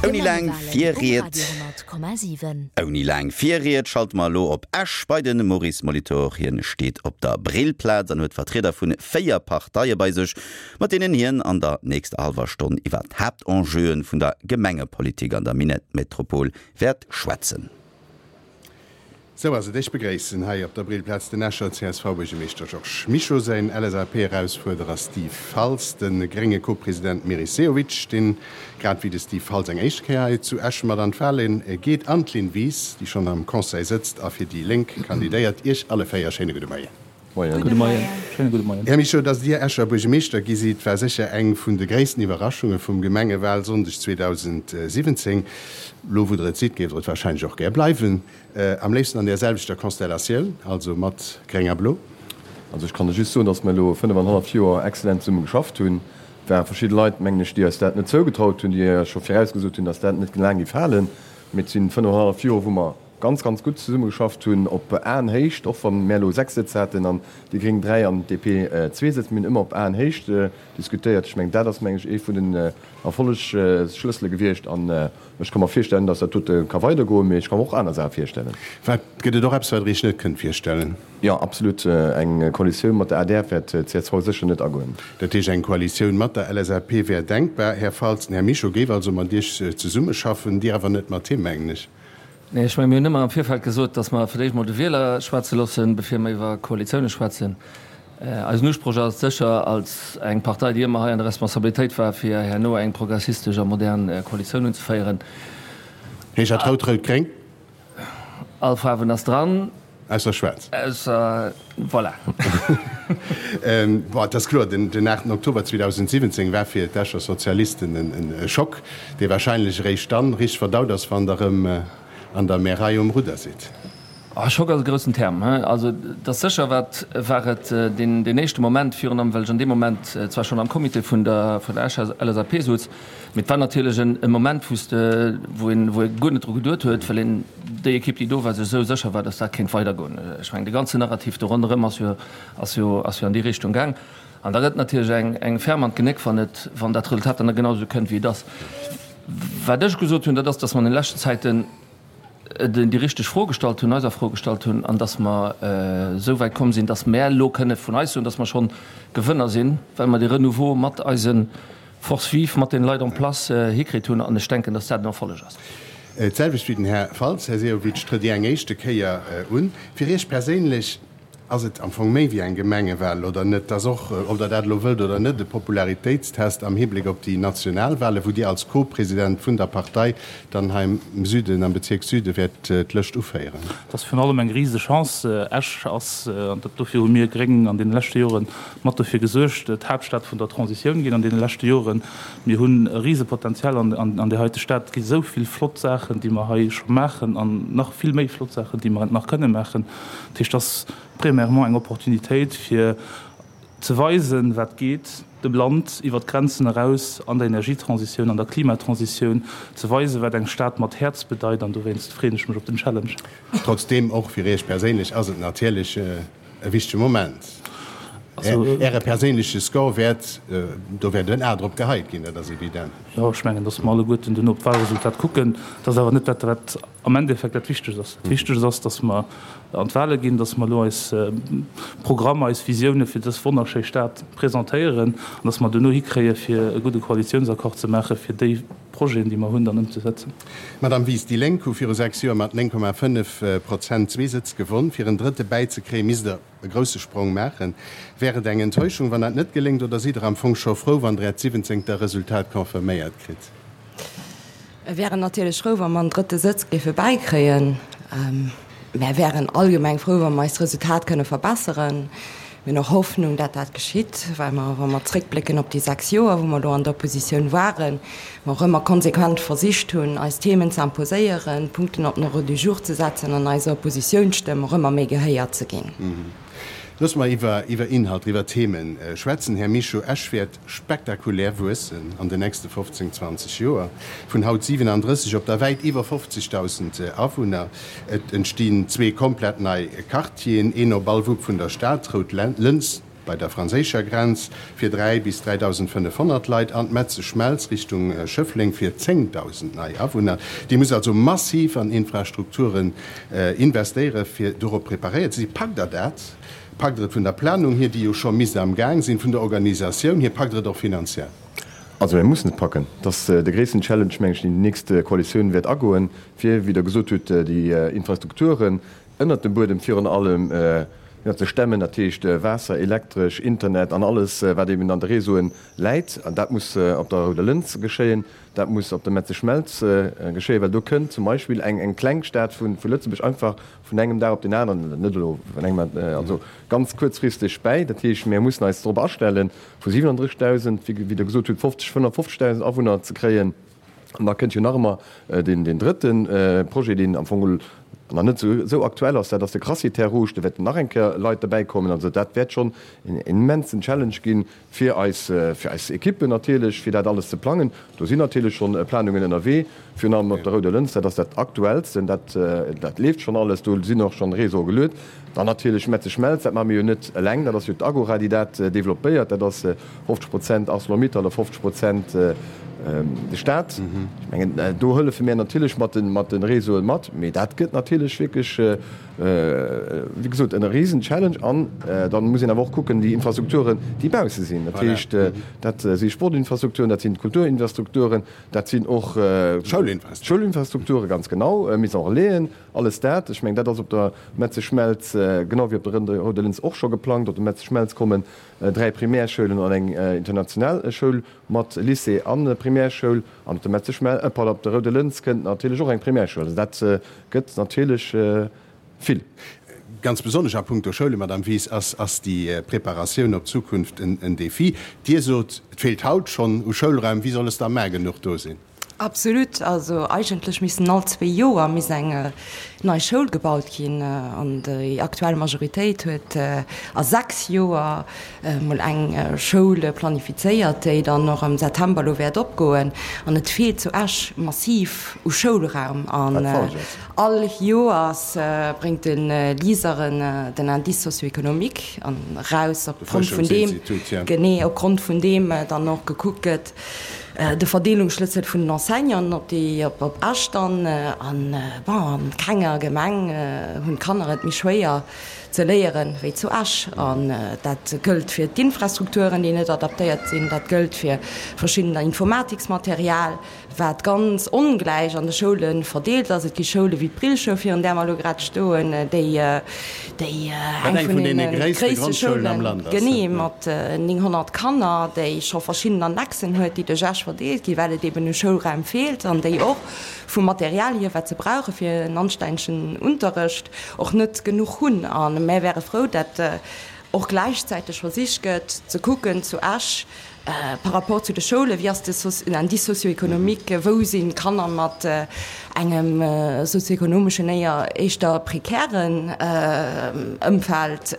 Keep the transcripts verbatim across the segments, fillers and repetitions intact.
Ouni laang Virried Ouni laang Virried schalte mer elo op Esch bei de Maurice Molitor. Hien steet op der Brillplaz an huet Vertrieder vu véier Parteie bei sech, mat deenen hien an der nächster hallwer Stonn iwwer d'Haaptenjeuen vun der Gemengepolitik an der Minettmetropol wäert schwätzen. Sou ass et. Ech begréissen hei op der Brillplaz den Escher C S V-Buergermeeschter Georges Mischo, säin L S A P-Erausfuerderer Steve Faltz, de grénge Co-President Meris Sehovic, deen grad wéi de Steve Faltz eng éischt Kéier hei zu Esch mat an d'Wale geet, an d'Lynn Wies, déi schonn am Conseil sëtzt a fir déi Lénk kandidéiert. Iech alle véier schéine gudde Moien. Moien. Gudde Moien. Schéine gudde Moien. Här Mischo, datt Dir Escher Buergermeeschter gi sidd, war sécher eng vun de gréissten Iwwerraschunge vum Gemengewalsonndeg zweedausendsiwwenzéng. Lo wou Der et sidd, géift Der et warscheinlech och gär bleiwen. Am léifsten an där selwechter Konstellatioun, also mat Gréng a Blo. Also ech kann der just soen, datt mer elo fënnef an hallef Joer exzellent zesumme geschafft hunn. Et ware verschidde Leit, mengen ech, déi eis dat net zougetraut hunn, déi scho virausgesot hunn, datt dat net laang géif halen. Mee et si fënnef an hallef Joer, wou mer ganz, ganz gutt zesumme geschafft hunn, op Aenhéicht, och wa mär elo sechs Sëtz haten an déi Gréng dräi an d'D P zwee Sëtz. Mir hunn ëmmer op Aenhéicht diskutéiert. Ech mengen, dat ass, mengen ech, ee vun den Erfollegsschlëssele gewiescht an ech ka mer virstellen, datt dat dote ka weidergoen, mee ech ka mer och aner Saache virstellen. Wat, gëtt et och eppes, wat Der Iech net kënnt virstellen? Jo, absolut. Eng Koalitioun mat der A D R wäert d'C S V sécher net agoen. Dat heescht, eng Koalitioun mat der L S A P wär denkbar. Här Faltz, den Här Mischo géif also mat Iech zesummeschaffen, Dir awer net mat him, mengen ech. Nee, ech mengen, mir hunn ëmmer am Virfeld gesot, datt mer fir d'éischt mol de Wieler schwätze loossen, bevir mer iwwer Koalitioune schwätzen. Eisen Usproch ass et sécher, als eng Partei, déi ëmmer hei an der Responsabilitéit war, fir herno eng progressistesch a modern Koalitioun unzeféieren. Heescht dat rout-rout-gréng? All Faarwen ass dran. Ausser schwaarz. Ausser, voilà. Bon, et ass kloer, den aachten Oktober zweedausendsiwwenzéng war fir d'Escher Sozialisten e Schock, dee wahrscheinlech eréischt dann richteg verdaut ass, wann Der erëm an der Märei um Rudder sidd. Schock ass e groussen Term. Also et ass sécher, wat war et deen éischte Moment, virun allem well ech an deem Moment zwar schonn am Comité vun der vun der Escher L S A P souz, mee et war natierlech e Moment, wou s de, wou een, wou ee guer net dru geduet huet, well een déi Ekipp, déi do war, sech esou sécher war, datt dat kéint weidergoen. Ech mengen, de ganzen Narrativ do ronderëm ass jo, ass jo, ass jo an déi Richtung gaang. An da gëtt natierlech eng, eng ferm an d'Genéck, wann et, wann dat Resultat dann net genau esou kënnt, wéi et ass. Wat ech gesot hunn, dat ass, datt mer an de leschten Zäiten déi richteg Fro gestallt hunn, eis a Fro gestallt hunn, an datt mer esou wäit komm sinn, datt mer elo kënne vun eis soen, datt mer schonn Gewënner sinn, well mer de Renouveau mat eise Forces vives, mat den Leit en place hikritt hunn. An ech denken, datt dat en Erfolleg ass. D'selwecht wéi den Här Faltz, Här Sehovic, trëtt Dir eng éischte Kéier un. Fir Iech perséinlech ass et am Fong méi wéi eng Gemengewal, oder net? Et ass och, ob Der dat elo wëllt oder net, e Popularitéitstest am Hibléck op déi Nationalwale, wou Dir als Co-President vun der Partei dann hei am Süden, am Bezierk Süde wäert d'Lëscht uféieren. Et ass virun allem eng riseg Chance. Esch ass, an dat dofir hu mir Gréng an deene leschte Jore mat dofir gesuergt, d'Haaptstad vun der Transitioun ginn an deene leschte Joren. Mir hunn e Risepotenzial an där heite Stad. Et gi sou vill flott Saachen, déi mer hei scho maachen an nach vill méi flott Saachen, déi mer nach kënne maachen. Dat heescht, et ass premièrement eng Opportunitéit, fir ze weisen, wat geet, dem Land iwwert d'Grenzen eraus an der Energietransitioun, an der Klimatransitioun, ze weisen, wat eng Stad mat Häerz bedeit. An dowéinst freeën ech mech op den Challenge. Trotzdeem, och fir Iech perséinlech ass et natierlech e wichtege Moment. Äre perséinleche Score wäert, do wäert en A drop geheit ginn, dat ass evident. Jo, ech mengen, datt mer alleguerten duerno op d'Wahlresultat kucken. Dat ass awer net dat, wat am Endeffekt dat Wichtegst ass. Dat Wichtegst ass, datt mer an d'Wahle ginn, datt mer elo eis Programmer, eis Visioune fir dës wonnerschéi Stad presentéieren an datt mer duerno hikréie fir e gudde Koalitiounsaccord ze maache fir déi Projeten, déi mer hunn, dann ëmzesetzen. Madame Wies, déi Lénk hu viru sechs Joer mat néng Komma fënnef Prozent zwee Sëtz gewonn. Fir en drëtte bäizekréien, misst Der e grousse Sprong maachen. Wär et eng Enttäuschung, wann dat net geléngt, oder sidd Der am Fong scho frou, wann Der Äert siwwenzéngter Resultat confirméiert kritt? Mir wären natierlech frou, wa mer en drëtte Sëtz géife bäikréien. Mär wären allgemeng frou, wa mer eist Resultat kënne verbesseren. Mir hunn och Hoffnung, dat dat geschitt, well mer, wa mer zréckblécken op déi sechs Joer, wou mer elo an der Oppositioun waren, mer och ëmmer konsequent versicht hunn, eis Themen ze imposéieren, Punkten op den Ordre du jour ze setzen an eiser Oppositiounsstëmm och ëmmer méi gehéiert ze ginn. Loosse mer iwwer iwwer Inhalter, iwwer Themen schwätzen. Här Mischo, Esch wäert spektakulär wuessen an den nächste fofzéng, zwanzeg Joer, vun haut siwenandrësseg op da wäit iwwer fofzegdausend Awunner. Et entstinn zwee komplett nei Quartieren, een op all Wupp vun der Stad, Rout Lëns, bei der franséischer Grenz fir dräi bis dräidausendfënnefhonnert Leit an d'Metzeschmelz Richtung Schëffleng fir zéngdausend nei Awunner. Dir musst also massiv an Infrastrukturen investéieren, fir dorop preparéiert ze sinn. Packt Der dat? Packt Der et vun der Planung hier, déi jo scho misst am Gaang sinn, vun der Organisatioun hier, packt Der et och finanziell? Also mir mussen et packen. Dat ass de gréissten Challenge, meng ech, deen déi nächst Koalitioun wäert agoen, fir, wéi Der gesot hutt, déi Infrastrukturen ënnert dem Buedem virun allem ze stemmen, dat heescht Waasser, Elektresch, Internet an alles, wat eben an de Réseauen läit. An dat muss op der Rouder Lëns geschéien, dat muss op der Metzeschmelz geschéien, well do kënnt zum Beispill eng kleng Stad vu Lëtzebuerg einfach vun engem Dag op deen aneren, net elo vun engem, also ganz kuerzfristeg bäi. Dat heescht, mir mussen eis drop astellen, vu siwenanddrëssigdausend, wéi Der gesot hutt, fofzeg, fënnefundfofzegdausend Awunner ze kréien. An da kënnt jo nach ëmmer deen drëtte Projet, deen am Fong geholl nach net esou aktuell ass, dat ass de Crassier Terres Rouges. Do wäerten nach eng Kéier Leit derbäikommen. Also dat wäert schonn en immensen Challenge ginn fir eis, fir eis Ekippen natierlech, fir dat alles ze plangen. Do sinn natierlech schonn Planungen ënnerwee, virun allem op der Rouder Lëns, dat ass dat Aktuellsten, dat, dat leeft schonn alles, do sinn och schonn Réseaue geluet. Dann natierlech Metzeschmelz, dat maache mir jo net eleng, dat ass jo d'Agora, déi dat developpéiert, dat ass fofzeg Prozent Arcelor-Mittal a fofzeg Prozent de Staat. Ech mengen, do hëllefe mir natierlech mat de, mat de Réseaue mat, mee dat gëtt natierlech wierklech, wéi gesot, en Riesenchallenge. An dann muss een awer och kucken, déi Infrastrukturen, déi bausse sinn, dat heescht, dat si Sportinfrastrukturen, dat sinn d'Kulturinfrastrukturen, dat sinn och d'Schoulinfrastrukturen, ganz genau, Maison Relaisen, alles dat. Ech mengen, dat ass op der Metzeschmelz, genau wéi op der Rouder Lëns och scho geplangt. Op der Metzeschmelz kommen dräi Primärschoulen an eng international Schoul mat Lycée a Primärschoul. An op der Metzeschmel, pardon, op der Rouder Lëns kënnt natierlech och eng Primärschoul. Also dat gëtt natierlech vill. Ganz besonnesch a puncto Schoule, Madame Wies, ass ass déi Preparatioun op d'Zukunft en Défi. Dir sot, et feelt haut schonn u Schoulraim. Wéi soll es da mar genuch do sinn? Absolut. Also eigentlech missten all zwee Joer misst eng nei Schoul gebaut ginn. An déi aktuell Majoritéit huet a sechs Joer emol eng Schoul planifizéiert, déi dann och am September elo wäert opgoen. An et feelt zu Esch massiv u Schoulraum. An all Joers bréngt de LISER den Indice socio-économique eraus, opgrond vun deem, genee, opgrond vun deem dann och gekuckt gëtt, de Verdeelungsschlëssel vun den Enseignanten op déi op Esch dann. An bon, an kenger Gemeng hunn d'Kanner et méi schwéier ze léieren wéi zu Esch. An dat gëllt fir d'Infrastrukturen, déi net adaptéiert sinn, dat gëllt fir verschiddener Informatiksmaterial, wat ganz ongläich an de Schoule verdeelt ass. Et gi Schoule wéi d'Brillschoul, virun där mer elo grad stoen, déi déi eng vun deene gréisste Schoulen, genee, mat nénghonnert Kanner, déi scho verschidden Annexen huet, déi duerch Esch verdeelt ginn, well et eben u Schoulraim feelt, an déi och vum Material hier, wat se brauche fir en anstännegen Unterrecht, och net genuch hunn. A mär wäre frou, dat och gläichzäiteg versicht gëtt ze kucken zu Esch par rapport zu de Schoulen, wéi ass de Indice socio-économique, wou sinn d'Kanner mat engem sozioekonomeschen éier éischter prekären Ëmfeld,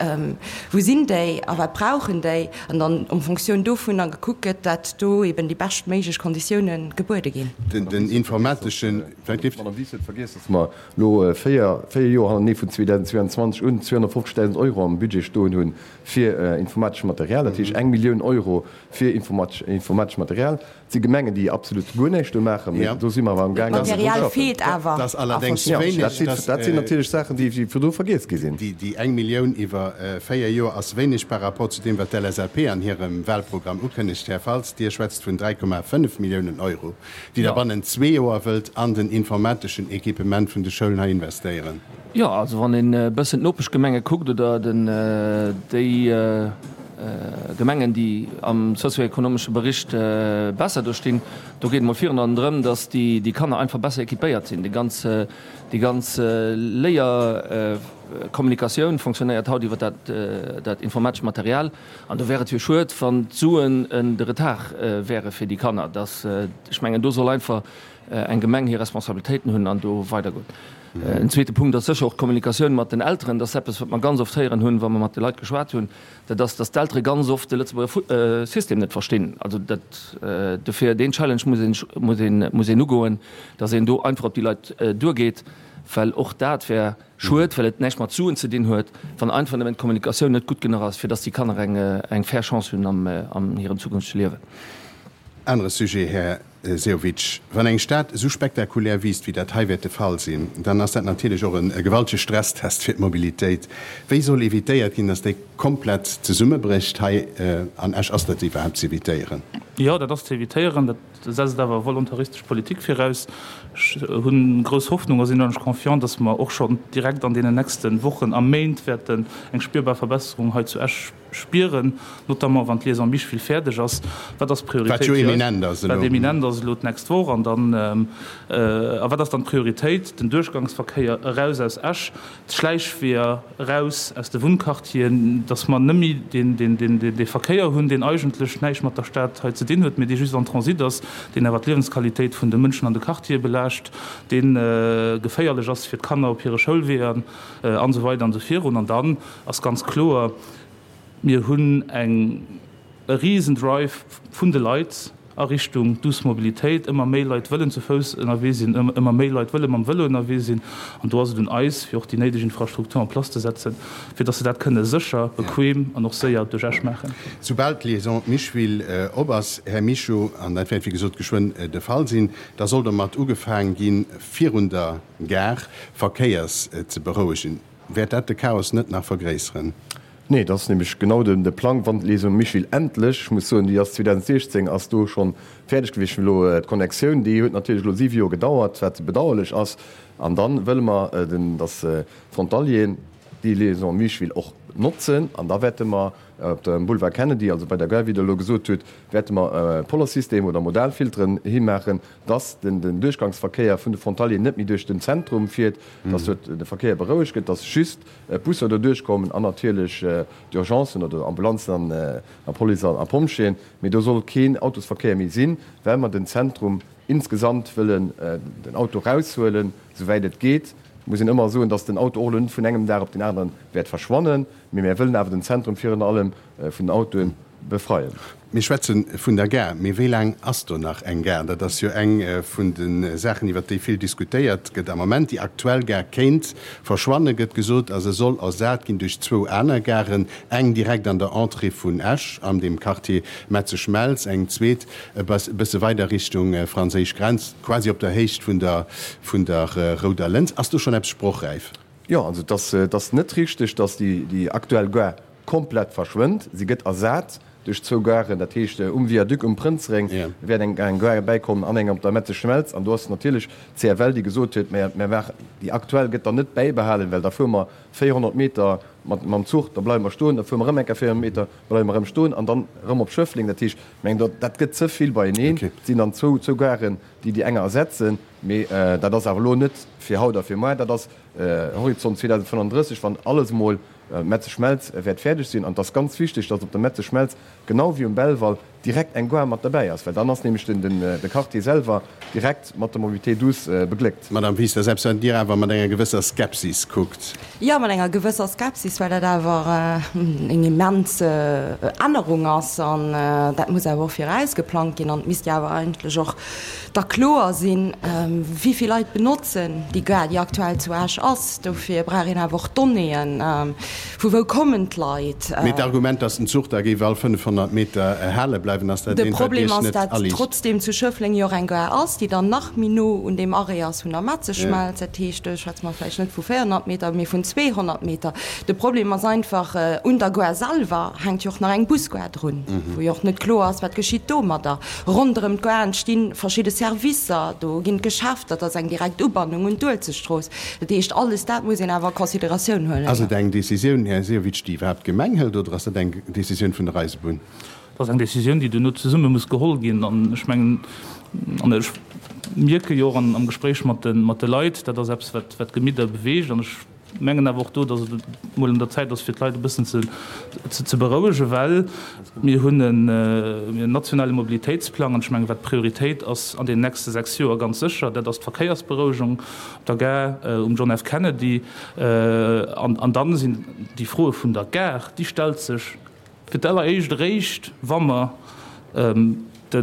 wou sinn déi a wat brauchen déi, an dann en Fonctioun dovunner gekuckt gëtt, dat do eben déi beschtméiglech Konditiounen gebuede ginn. Den informateschen. D'Madame Wies huet vergiess, dass mer elo véier, véier Joer hannertenee vun zweedausendzweianzwanzeg un zweehonnertfofzegdausend Euro am Budget stoen hunn fir informatescht Material, dat heescht eng Millioun Euro fir informatescht Material. Et si Gemengen, déi absolut guer näischt do maachen, mee do si mer awer amgaangen, drun ze schaffen. D'Material feelt awer Dat ass allerdéngs wéineg. Dat sinn natierlech Saachen, déi virdru vergiess gi sinn. Déi eng Millioun iwwer véier Joer ass wéineg par rapport zu deem, wat d'LSAP an hirem Wahlprogramm ukënnegt. Här Faltz, Dir schwätzt vun dräi Komma fënnef Milliounen Euro, déi Der bannent zwee Joer wëllt an den informateschen Equipement vun de Schoulen hei investéieren. Jo, also wann een e bëssen d'Nopeschgemenge kuckt oder den, déi Gemengen, déi am sozioekonomesche Bericht besser do stinn, do geet et mol virun allem drëm, datt déi, déi Kanner einfach besser équipéiert sinn. Déi ganz, déi ganz Léierkommunikatioun fonctionnéiert haut iwwer dat, dat informatescht Material. An do wär et jo schued, wann d'Suen de Retard wäre fir déi Kanner. Dass, ech mengen, do soll einfach eng Gemeng hir Responsabilitéiten hunn an do weidergoen. En zweete Punkt ass sécher och d'Kommunikatioun mat den Elteren. Dat ass eppes, wat mer ganz oft héieren hunn, wa mer mat de Leit geschwat hunn, dat ass, dass d'Eltere ganz oft de Lëtzebuerger System net verstinn. Also dat, dofir deen Challenge muss een, muss een, muss een ugoen, dass een do einfach op déi Leit duergeet, well och dat wär schued, well et näischt mat Suen ze dinn huet, wann einfach nëmmen d'Kommunikatioun net gutt genuch ass, fir dass déi Kanner eng, eng fair Chance hunn am, an hirem zukünftege Liewen. Anere Sujet, Här Sehovic, Wann eng Stad esou spektakulär wiisst, wéi dat hei wäert de Fall sinn, dann ass dat natierlech och e gewaltege Stresstest fir d'Mobilitéit. Wéi soll evitéiert ginn, dass déi komplett zesummebrécht hei an Esch? Ass dat iwwerhaapt z'evitéieren? Jo, dat ass z'evitéieren. Dat setzt awer volontaristesch Politik viraus. Ech hu grouss Hoffnung a sinn unheimlech confiant, dass mer och schonn direkt an deenen nächste Wochen a Méint wäerten eng spierbar Verbesserung hei zu Esch spieren, notamment wann d'Liaison Micheville fäerdeg ass. Wat ass d'Prioritéit Wat jo fir eis? eminent ass Wat elo. eminent ass elo d'nächst Woch. An dann, a wat ass dann d'Prioritéit? Den Duerchgangsverkéier eraus aus Esch, d'Schläichweeër eraus aus de Wunnquartieren, dass mer net méi deen, deen, deen, dee Verkéier hunn, deen eigentlech näischt mat der Stad hei ze dinn huet, mee dee just en Transit ass, deen awer d'Liewensqualitéit vun de Mënschen an de Quartiere belaascht, dee geféierlech ass fir d'Kanner op hire Schoulweeër an esou weider an esou virun. An dann ass ganz kloer, Mir hunn eng e risen Drive vun de Leit a Richtung douce Mobilitéit. Ëmmer méi Leit wëllen zu Fouss ënnerwee sinn, ëmmer méi Leit wëlle mam Vëlo ënnerwee sinn. An do ass et un eis, fir och déi néideg Infrastruktur en place ze setzen, fir dass se dat kënne sécher, bequem an och séier duerch Esch maachen. Soubal d'Liaison Micheville op ass, Här Mischo, an dat wäert wéi gesot geschwënn de Fall sinn, da soll domat ugefaang ginn, virun der Gare Verkéiers ze berouegen. Wäert dat de Chaos net nach vergréisseren? Nee, dat ass nämlech genau de Plang, wann d'Liaison Micheville endlech, ech muss soen, déi ass zweedausendsiechzéng ass do scho fäerdeg gewiescht, elo d'Connectioun, déi huet natierlech elo siwe Joer gedauert, wat bedauerlech ass. An da wëlle mer, datt d'Frontalieren déi Liaison Micheville och notzen. An da wäerte mer op dem Boulevard Kennedy, also bei der Gare, wéi Der elo gesot hutt, wäerte mer e Pollersystem oder Modalfilteren himaachen, dass den Duerchgangsverkéier vun de Frontalieren net méi duerch den Zentrum fiert, dass dort de Verkéier berouegt gëtt, dass just d'Busser do duerchkommen an natierlech d'Urgencen oder Ambulanzen a Police a Pompjeeën. Mee do soll keen Autosverkéier méi sinn, well mer den Zentrum insgesamt wëllen den Auto eraushuelen, souwäit et geet. Et muss een ëmmer soen, dass den Auto och elo net vun engem Dag op deen aneren wäert verschwannen, mee mär wëllen awer den Zentrum virun allem vun den Autoen befreien. Mir schwätze vun der Gare, mee wéi laang ass do nach eng Gare? Dat ass jo eng vun de Saachen, iwwert déi vill diskutéiert gëtt am Moment. Déi aktuell Gare kéint verschwanne, gëtt gesot, a se soll ersat ginn duerch zwou aner Garen, eng direkt an der Entrée vun Esch an dem Quartier Metzeschmelz, eng zweet e bësse weider Richtung franséisch Grenz, quasi op der Héicht vun der vun der Rouder Lëns. Ass do schonn eppes sprochräif? Jo, also et ass, et ass net richteg, datt déi, déi aktuell Gare komplett verschwënnt. Si gëtt ersat duerch zwou Garen, dat heescht um Viaduc um Prënzeréng wäert eng eng Gare bäikommen an eng op der Metzeschmelz. An do ass natierlech d'CFL, déi gesot huet, Mä mer maachen déi aktuell gëtt dann net bäibehalen, well da fuere mer véierhonnert Meter mat mam Zuch, da bleiwe mer stoen, da fuere mer erëm eng Kéier véierhonnert Meter, bleiwe mer erëm stoen an dann erëm op Schëffleng. Dat heescht, ech mengen, dat dat gëtt ze vill beieneen. Et sinn dann zwou zwou Garen, déi déi enger ersetzen. Mee dat ass awer elo net fir haut a fir muar, dat ass Horizont zweedausendfënnenddrësseg, wann alles emol Metzeschmelz wäert fäerdeg sinn. An et ass ganz wichteg, dass op der Metzeschmelz, genau wéi um Belval, direkt eng Gare mat derbäi ass, well dann ass nämlech de Quartier selwer direkt mat der Mobilité douce begléckt. Madame Wiseler, selbst wann Dir awer mat enger gewësser Skepsis kuckt. Jo, mat enger gewësser Skepsis, well dat awer eng immens Ännerung ass an dat muss awer och virausgeplangt ginn an et misst jo awer eigentlech och da kloer sinn, wéi vill Leit benotzen déi Gare, déi aktuell zu Esch ass. Dofir brauch een awer och Donnéeën, vu wou kommen d'Leit. Mee d'Argument, datt den Zuch da géif all fënnefhonnert Meter hale bleiwen, ass dat De eent, wat Problem Iech ass, net dat aliicht? trotzdeem zu Schëffleng jo och eng Gare ass, déi dann nach méi no un deem Arrêt ass vun der Metzeschmelz. Dat heescht, do schwätze mer vläicht net vu véierhonnert Meter, mee vun zweehonnert Meter. De Problem ass einfach, un der Gare selwer hänkt jo och nach eng Busgare drun, wou jo och net kloer ass, wat geschitt domadder. Ronderëm d'Gare entsti verschidde Servicer, do ginn d'Geschäfter, dat ass eng direkt Ubannung un d'Uelzechtstrooss. Dat heescht, alles dat muss een awer a Consideratioun huelen. Ass et eng Décisioun, Här Sehovic, déi iwwerhaapt d'Gemeng hëlt, oder ass dat eng Décisioun vun der Eisebunn? Dat ass eng Décisioun, déi duerno zesumme muss geholl ginn. An ech mengen, an ech mierke jo och am Gespréich mat de Leit, dat ass eppes, wat d'Gemidder beweegt. An ech mengen awer och do, datt et emol un der Zäit ass, fir d'Leit e bëssen ze berouegen, well mir hunn en nationale Mobilitéitsplang. An ech mengen, wat d'Prioritéit ass an deenen nächste sechs Joer ganz sécher, dat ass d'Verkéiersberouegung op der Gare um John F. Kennedy. An dann sinn déi Froe vun der Gare, déi stellt sech fir d'alleréischt eréischt, wa mer de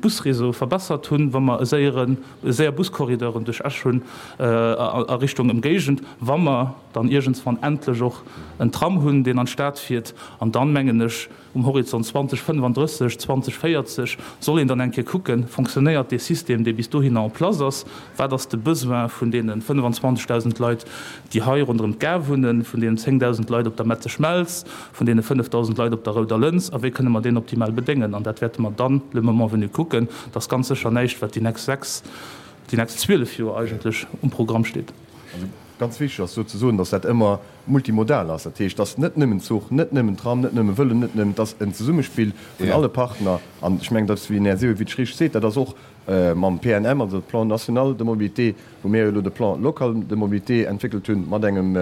Busréseau verbessert hunn, wa mer e séieren, séier Buscorrideuren duerch Esch hunn a Richtung Ëmgéigend, wa mer dann iergendswann endlech och en Tram hunn, deen an d'Stad fiert. An dann, mengen ech, um Horizont zwanzeg fënnefandrësseg, zwanzeg véierzeg soll een dann eng Kéier kucken, Fonctionnéiert dee System, dee bis dohinner en place ass? Wat ass de Besoin vun deene fënnefenzwanzegdausend Leit, déi hei ronderëm d'Gare wunnen, vun deenen zéngdausend Leit op der Metzeschmelz, vun deene fënnefdausend Leit op der Rouder Lëns? A wéi kënne mer deen optimal bedéngen? An dat wäerte mer dann le moment venu kucken. Dat ass ganz sécher näischt, wat déi nächst sechs, déi nächst zwielef Joer eigentlech um Programm steet. Also ganz wichteg ass do ze soen, dass dat ëmmer multimodal ass. Dat heescht, dass net nëmmen Zuch, net nëmmen Tram, net nëmme Vëlo, net nëmmen, et ass en Zesummespill vun alle Partner. An ech mengen, dass, wéi den Här Sehovic richteg seet, dat ass och mam P N M, also Plan national de mobilité, wou mir jo elo de Plan local de mobilité entwéckelt hunn, mat engem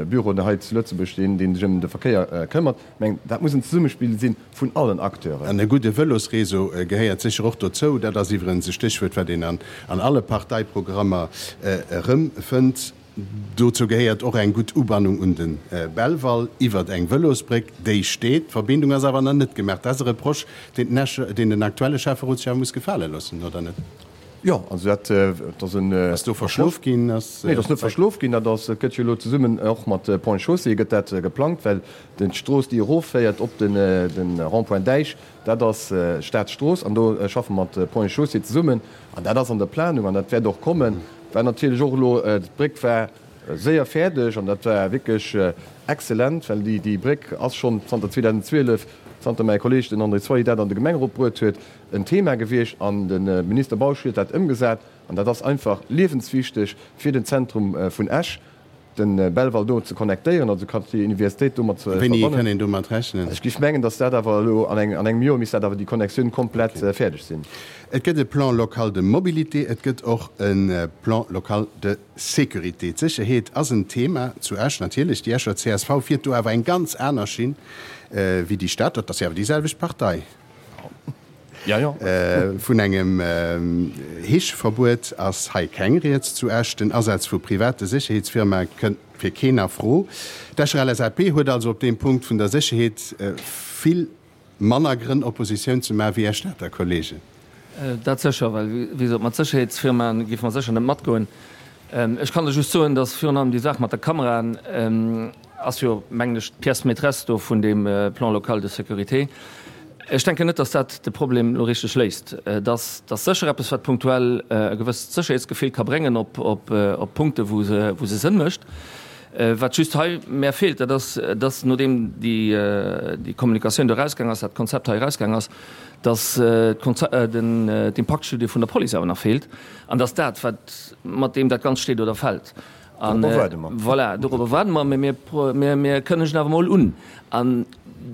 Büro hei zu Lëtzebuerg, deen sech ëm de Verkéier këmmert. Ech mengen, dat muss en Zesummespill si vun allen Acteuren. An e gudde Vëlosréseau gehéiert sécher och dozou. Dat ass iwwerens e Stéchwuert, wat een an alle Parteiprogrammer erëmfënnt. Dozou gehéiert och eng gutt Ubannung un de Belval iwwert eng Vëlosbréck. Déi steet, d'Verbindung ass awer nach net gemaach. Dat ass e Reproche, deen den aktuelle Schäfferotschef muss gefale loossen, oder net? Jo, also dat ass en. Ass do verschlof ginn? Nee, dat ass net verschlof ginn. Dat ass, et gëtt jo elo zesummen och mat Ponts et Chaussées gëtt dat geplangt, well d'Strooss, déi erofféiert op den Rond-point Däich, dat ass Staatsstrooss an do schaffe mer mat Ponts et Chaussées zesummen an dat ass an der Planung an dat wäert och kommen. War natierlech och elo, d'Bréck war séier fäerdeg an dat war wierklech exzellent, well déi Bréck ass schonn zanter zweedausendzwielef, zanter mäi Kolleeg den André Zwally dat an de Gemengerot bruet huet, en Thema gewiescht an de Minister Bausch huet dat ëmgesat an dat ass einfach liewenswichteg fir den Zentrum vun Esch, de Belval do ze connectéieren, also Quartier Universitéit domat ze verbannen. Wéini kann een domat rechnen? Ech géif mengen, datt dat awer elo an engem Joer misst dat awer déi Connectioun komplett fäerdeg sinn. Et gëtt e Plan local de mobilité, et gëtt och e Plan local de sécurité. D'Sécherheet ass en Thema zu Esch natierlech. Déi Escher C S V fiert do awer eng ganz aner Schinn wéi déi Stad. Dat ass jo awer déi selwecht Partei. Ja, ja. Vun engem Heescheverbuet ass hei keng Rieds zu Esch. Den Asaz vu private Sécherheetsfirmae kënnt fir keen a Fro. D'Escher L S A P huet also op deem Punkt vun der Sécherheet vill manner Grënn Oppositioun ze maachen wéi Är Stater Kollegen. Dat sécher, well wéi gesot, mat Sécherheetsfirmae géife mer sécher net matgoen. Ech kann lech just soen, datt virun allem déi Saach mat der Kameraen ass jo, mengen ech, d'Pièce maîtresse do vun deem Plan local de sécurité. Ech denken net, datt dat de Problem elo richteg léist. Et ass sécher eppes, wat punktuell e gewësst Sécherheetsgefill ka bréngen op Punkte wou se wou se Sënn mécht. Wat just hei mär feelt, dat ass, datt nodeem déi Kommunikatioun do erausgaang ass, dat Konzept hei erausgaang ass, datt d'Impaktstudie vun der Police awer nach feelt an datt dat, wat mat deem dat Ganzt steet oder fält. Dorobber waarde mer. Voilà, dorobber waarde mer, mä mir, mir kënnegen awer emol un. An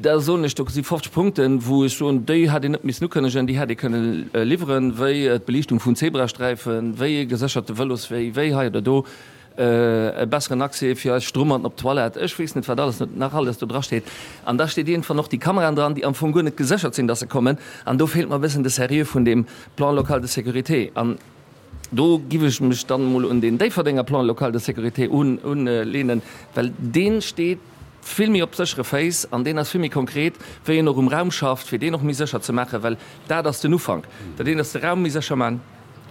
da soen ech, do si fofzeg Punkten, wou ech soen, déi hätt een net missen ukënnegen, déi hätt ee kënne liwweren, wéi d'Beliichtung vun Zebrasträifen, wéi e gesécherte Vëloswee, wéi hei oder do e besseren Accès fir eis Strummerten op d'Toilette, ech weess net, wat alles nach alles do drasteet. An da steet iergendwann och déi Kameraen dran, déi am Fong guer net geséchert sinn, dass se kommen. An do feelt mer e bëssen de Sérieux vun deem Plan local de sécurité. An do giff ech mech dann emol un deen Déifferdenger Plan local de sécurité unlehnen, well dee steet vill méi op séchere Féiss an deen ass vill méi konkret, wéi een och um Raum schafft, fir deen och méi sécher ze maachen, well dat ass den Ufank. Dat eent ass de Raum méi sécher maachen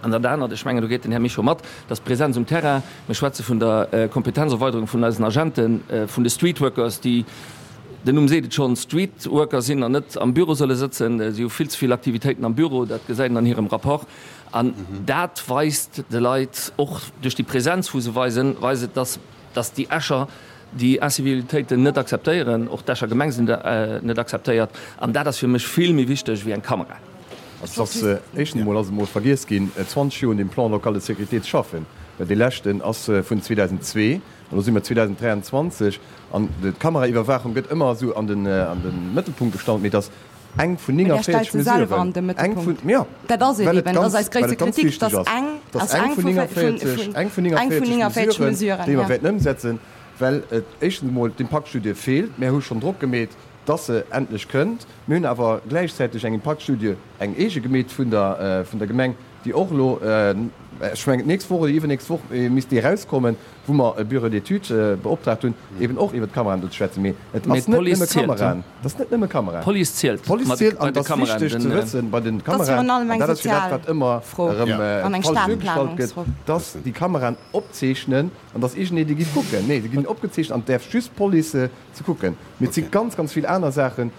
an dat anert, ech mengen, do geet den Här Mischo mat, dat ass d'Präsenz um Terrain. Mir schwätze vun der Kompetenzerweiderung vun eisen Agenten, vun de Streetworkers, déi, den Numm seet et schonn, Streetworker sinn an net am Büro solle sëtzen. Si hu vill ze vill Aktivitéiten am Büro, dat gesäit een an hirem Rapport. An dat weist de Leit och duerch déi Präsenz, wou se weisen, weist et, dass, dass déi Escher déi Incivilitéiten net akzeptéieren, och d'Escher Gemeng se net akzeptéiert. An dat ass fir mech vill méi wichteg wéi eng Kamera. Also et ass, éischtens emol ass et emol vergiess ginn, zwanzeg Joer un deem Plan local de sécurité ze schaffen, well dee leschten ass vun zweedausendzwee an elo si mer zweedausenddräianzwanzeg. An d'Kameraiwwerwaachung gëtt ëmmer esou an de Mëttelpunkt gestallt, mee et ass eng vun Mee där stellt néngaavéierzeg se selwer an Mesuren, de eng vun, Mëttelpunkt. jo, Dat ass et well et eben, dat ass ganz, eis well gréisste et ganz Kritik, wichteg dass ass. eng, Et ass ass eng eng vun vu, vun, néngaavéierzeg, vun, eng vun eng vun néngaavéierzeg néngaavéierzeg Mesuren, Mesuren, déi mer ja. wäerten ëmsetzen, well et éischtens emol d'Impaktstudie feelt. Mär hu schonn Drock gemeet, dass se endlech kënnt. Mir hunn awer gläichzäiteg eng Impaktstudie, eng eege gemeet vun der, vun der Gemeng, déi och elo Ech mengen, d'nächst Woch oder iwwernächst Woch misst déi erauskommen, wou mer e Bureau d'études beoptraagt hunn, eben och iwwert d'Kameraen do ze schwätzen. Mee et ass net nëmme Kameraen. Et ass net nëmme Kameraen. D'Police zielt. D'Police zielt an et ass wichteg ze wëssen, bei de Kameraen, an dat ass jo dat, wat ëmmer erëm falsch duergestallt gëtt, dass déi Kameraen opzeechnen an dass iergendee déi géif kucken. Nee, se ginn opgezeechent an et däerf just d'Police ze kucken. Mee et si ganz, ganz vill aner Saachen,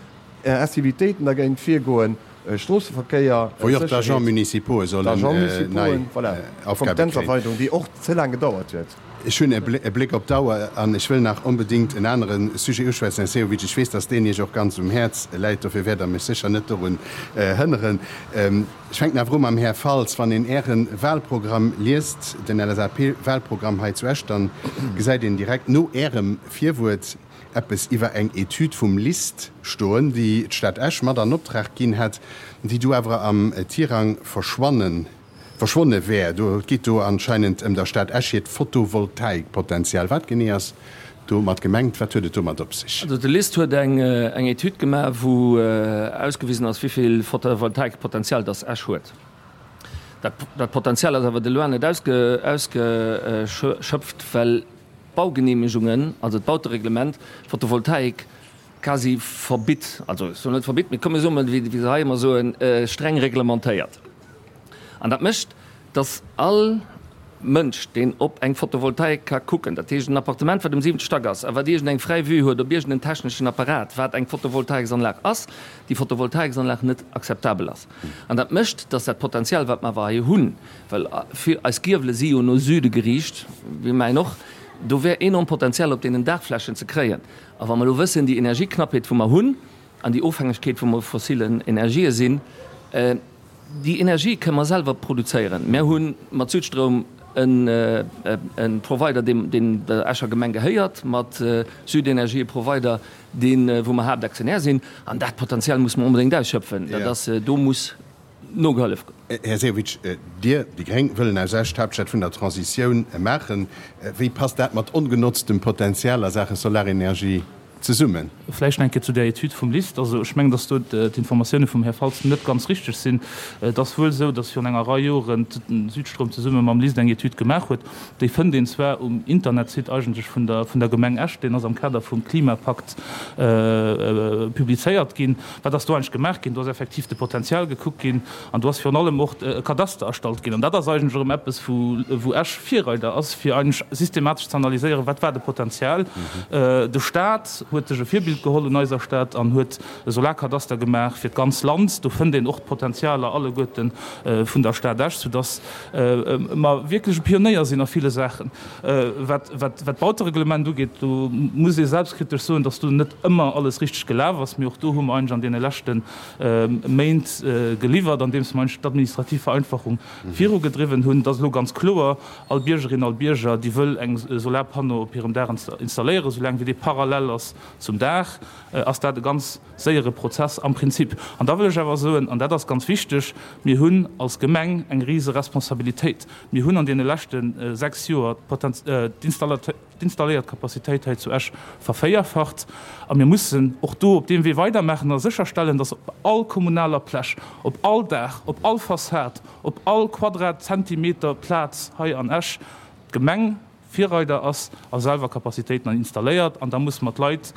Incivilitéiten dergéint virgoen, Stroosseverkéier, Wou jo och d'Agents municipaux sollen nei voilà, Aufgabe kréien. Kompetenzerweiterung, déi och ze laang gedauert huet. Ech hunn e Bléck op d'Auer an ech wëll nach onbedéngt en anere Sujet uschwätzen, Här Sehovic. Ech weess, dass deen Iech och ganz um Häerz läit, dofir wäert Der mech sécher net dorun hënneren. Ech fänken awer u mam Här Faltz. Wann een Äre Wahlprogramm liest, den LSAP-Wahlprogramm hei zu Esch, dann gesäit een direkt no Ärem Virwuert, eppes iwwer eng Etüd vum LIST stoen, déi d'Stad Esch mat an Optrag ginn hätt, déi du awer am Tirang verschwannen, verschwonne wär. Do, et geet do anscheinend ëm der Stad Esch hiert Photovoltaikpotenzial. Wat genee ass domat gemengt? Wat huet et domat op sech? Also de LIST huet eng, eng Etüd gemaach, wou ausgewisen ass, wéi vill Photovoltaikpotenzial dass Esch huet. Dat, dat Potenzial ass awer de loin net ausge, ausgeschöpft, well d'Baugenehmegungen, also d'Bautereglement, d'Photovoltaik quasi verbitt, also ech soen net verbitt, mee komm mir soen emol, wéi se hei ëmmer soen, streng reglementéiert. An dat mécht, dass all Mënsch, deen op eng Photovoltaik ka kucken, dat heescht en Appartement, wat um siwente Stack ass a wat iergendeng fräi Vue huet op iergendeen techneschen Apparat, wat eng Photovoltaiksanlag ass, déi Photovoltaiksanlag net akzeptabel ass. An dat mécht, dass dat Potenzial, wat mer awer hei hunn, well vill eis Giewele si jo no Süde geriicht, wéi mäin och, Do wär enorm Potenzial op deenen Daachflächen ze kréien. A wa mer elo wëssen, déi Energieknappheet, wou mer hunn, an déi Ofhängegkeet, wou mer u fossilen Energië sinn, déi Energie kënne mer selwer produzéieren. Mer hu mat Südstroum e Provider, deen der Escher Gemeng gehéiert, mat Südenergie e Provider, deen, wou mer Haaptaktionär sinn. An dat Potenzial muss mer onbedéngt ausschöpfen. Dat ass, do muss nogehollef ginn. Här Sehovic, Dir, déi gréng, wëllen aus Esch d'Haaptstad vun der Transitioun maachen. Wéi passt dat mat ongenotztem Potenzial a Saache Solarenergie zesummen? Vläicht nach eng Kéier zu där Etüd vum LIST. Also ech mengen, dass do d'Informatioune vum Här Faltz net ganz richteg sinn. Et ass wuel esou, dass virun enger Rei Joren Südstroum zesumme mam LIST eng Etüd gemaach huet. Déi fënnt een zwar um Internetsite eigentlech vun der vun der Gemeng Esch, deen ass am Kader vum Klimapakt publizéiert ginn. Wat ass do eigentlech gemaach ginn? Do ass effektiv de Potenzial gekuckt ginn an do ass virun allem och e Kadaster erstallt ginn. An dat ass eigentlech erëm eppes, wou wou Esch Virreider ass, fir eigentlech systematesch ze analyséieren, wat war de Potenzial. De Stat huet sech e Virbild geholl un eiser Stad an huet e Solarkadaster gemaach fir d'ganz Land. Do fënnt een och d'Potenzialer alleguerte vun der Stad Esch, soudass mer wierklech e Pionéier sinn a ville Saachen. Wat wat d'Bautereglement ugeet, do muss ee selbstkritesch soen, dass do net ëmmer alles richteg gelaf ass. Mee och do hu mer eigentlech an deene leschte Méint geliwwert, andeems mer eigentlech d'administrativ Vereinfachung virugedriwwen hunn. Et ass elo ganz kloer, All Biergerin, all Bierger, déi wëll eng Solarpanneau op hirem Daach installéieren, soulaang wéi dee parallel ass zum Daach, ass dat e ganz séiere Prozess am Prinzip. An da wëll ech awer soen, an dat ass ganz wichteg, Mir hunn als Gemeng eng rise Responsabilitéit. Mir hunn an deene leschte sechs Joer d'installéiert Capacitéit hei zu Esch vervéierfacht. A mir mussen och do op deem Wee weidermaachen a sécherstellen, dass op all kommunaler Pläch, op all Daach, op all Fassad, op all Quadratzentimeter Plaz hei an Esch d'Gemeng Virreider ass a selwer Capacitéiten installéiert. An da musse mer d'Leit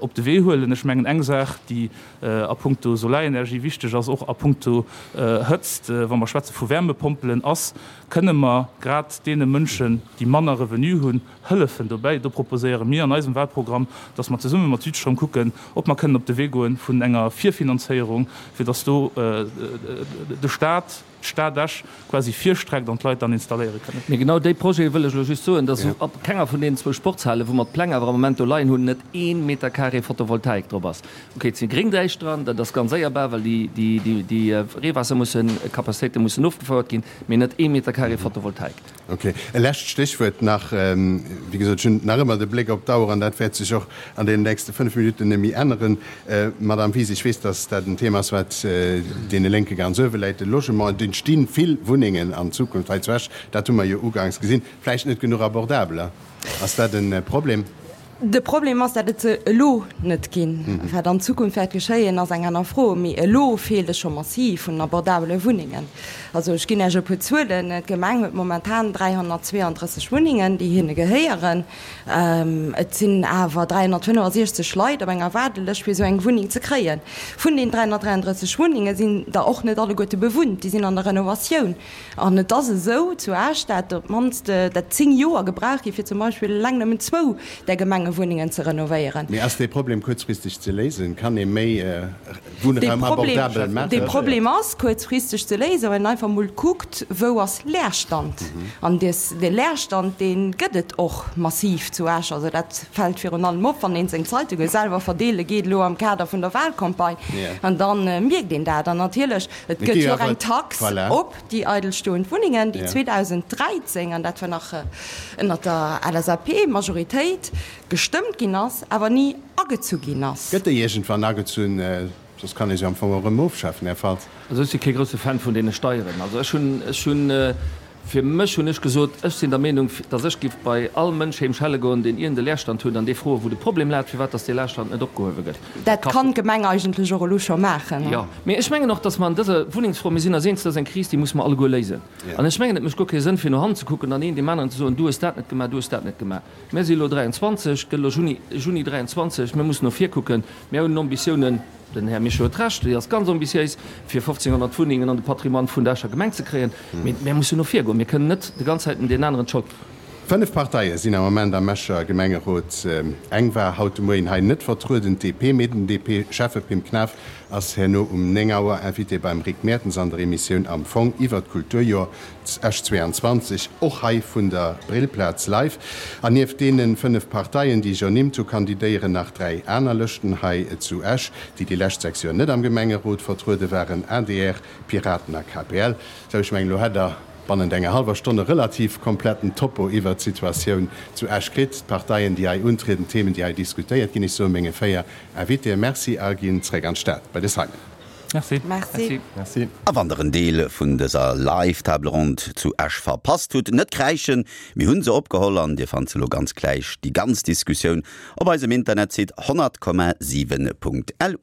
op de Wee huelen. Ech mengen, eng Saach, déi a puncto Solarenergie wichteg ass, och a puncto Hëtzt, wa mer schwätze vu Wärmepompelen, ass, Kënne mer grad deene Mënschen, déi manner Revenu hunn, hëllefen dobäi? Do proposéiere mir an eisem Wahlprogramm, dass mer zesumme mat Südstroum kucken, ob mer kënnen op de Wee goen vun enger Virfinanzéierung, fir dass do de Stat, d'Stad Esch quasi virstreckt an d'Leit dann installéiere kënnen. Mee genau déi Projete wëll ech elo just soen, dass op kenger vun deenen zwou Sportshalen, wou mer d'Pläng awer am Moment do leien hunn, net ee Meter carré Photovoltaik drop ass. Ok, et si Gréngdäich dran, dat ass ganz éierbar, well déi, déi, déi Reewaasser mussen, Capacitéite mussen ofgefouert ginn, mee net ee Meter carré Photovoltaik. Ok. E lescht Stéchwuert nach. Wéi gesot, ech hunn nach ëmmer de Bléck op d'Auer an dat wäert sech och an deenen nächste fënnf Minutten net méi änneren. Madamm Wies, ech weess, dass dat en Thema ass, wat deene Lénke ganz uewe läit, de Logement. Et entsti vill Wunnengen an Zukunft hei zu Esch, dat hu mer jo uganks gesinn. Vläicht net genuch abordabeler. Ass dat e Problem? De Problem ass, dat et se elo net ginn. Wat an Zukunft wäert geschéien, ass eng aner Fro. Mee elo feelt et scho massiv un abordabele Wunnengen. Also ech ginn Iech e puer Zuelen, D'Gemeng huet momentan dräihonnertzweeanddrësseg Wunnengen, déi hinne gehéieren. Et sinn awer dräihonnertfënnefasiechzeg Leit op enger Waardelëscht, fir esou eng Wunneng ze kréien. Vun den dräihonnertdräianddrësseg Wunnenge sinn der och net alleguerte bewunnt, déi sinn an der Renovatioun. An et ass esou zu Esch, dat op d'mannst dat zéng Joer gebraucht gi fir zum Beispill eleng nëmmen zwou där Gemengewunnengen ze renovéieren. Mee ass dee Problem kuerzfristeg ze léisen? Kann ee méi Wunnraum abordabel maachen? Dee Problem ass kuerzfristeg ze léisen, wann een einfach emol kuckt, wou ass Leerstand. An dee Leerstand, dee gëtt et och massiv zu Esch. Also dat fält virun allem op, wann ee seng Zeitunge selwer verdeele geet, elo am Kader vun der Wahlcampagne. An da mierkt een dat. An natierlech, et gëtt jo och eng Tax op déi eidelstoend Wunnengen, déi zweedausend dräizéng, an dat war nach ënnert der L S A P-Majoritéit, gestëmmt ginn ass, awer ni agezu ginn ass. Gëtt déi iergendwann agezunn? Soss kann ee se am Fong och erëm ofschafen, Här Faltz. Also ech si kee grousse Fan vun deene Steieren. Also ech hunn, ech hunn, fir mech hunn ech gesot, ech sinn der Meenung, datt ech giff bei all Mënsch heem schelle goen, deen iergend e Leerstand huet, an dee froen, wou de Problem läit, firwat datt dee Leerstand net opgehuewe gëtt. Dat kann d'Gemeng eigentlech och elo scho maachen. Jo, mee ech mengen och, datt mer an dëser Wunnengsfro, mir sinn eis eens, dat ass eng Kris, déi musse mer alleguer léisen. An ech mengen, et mécht guer kee Sënn, fir no hannen ze kucken an een deem aneren ze soen, du hues dat net gemaach, du hues dat net gemaach. Mir si elo dräianzwanzeg, gëtt elo Juni, Juni dräianzwanzeg, mir mussen no vir kucken. Mir hunn Ambitiounen, den Här Mischo huet Recht, déi ass ganz ambitiéis, fir fofzénghonnert Wunnengen an de Patrimoine vun der Escher Gemeng ze kréien. Mee mir mussen no vir goen. Mir kënnen net déi ganz Zäit deen aneren d'Schold. Fënnef Parteie sinn am Moment am Escher Gemengerot. Eng war haut de Moien hei net vertrueden, d'D P. Mee den D P-Schäffe Pim Knaff ass herno um néng Auer Invité beim Rick Mertens an der Emissioun Am Fong iwwer d'Kulturjoer Esch zweiandzwanzeg, och hei vun der Brillplaz live. An nieft deene fënnef Parteien, déi ech ernimmt hu, kandidéieren nach dräi aner Lëschten hei zu Esch, déi déi lescht sechs Joer net am Gemengerot vertruede waren, A D R, Piraten a K P L. Sou, ech mengen, elo hätt Der bannent enger hallwer Stonn e relativ kompletten Topo iwwert d'Situatioun zu Esch kritt, d'Parteien, déi hei untrieden, d'Themen, déi hei diskutéiert ginn. Ech soe menge véier Invitéë Merci a ginn zréck an d'Stad bei de Simon. Merci. Merci. Merci. A wann der en Deel vun dëser Live-Table Ronde zu Esch verpasst hutt, net kräischen, mir hunn se opgeholl an dir fannt se elo ganz gläich, déi ganz Diskussioun, op eisem Internetsite honnert Komma siwen Punkt L U.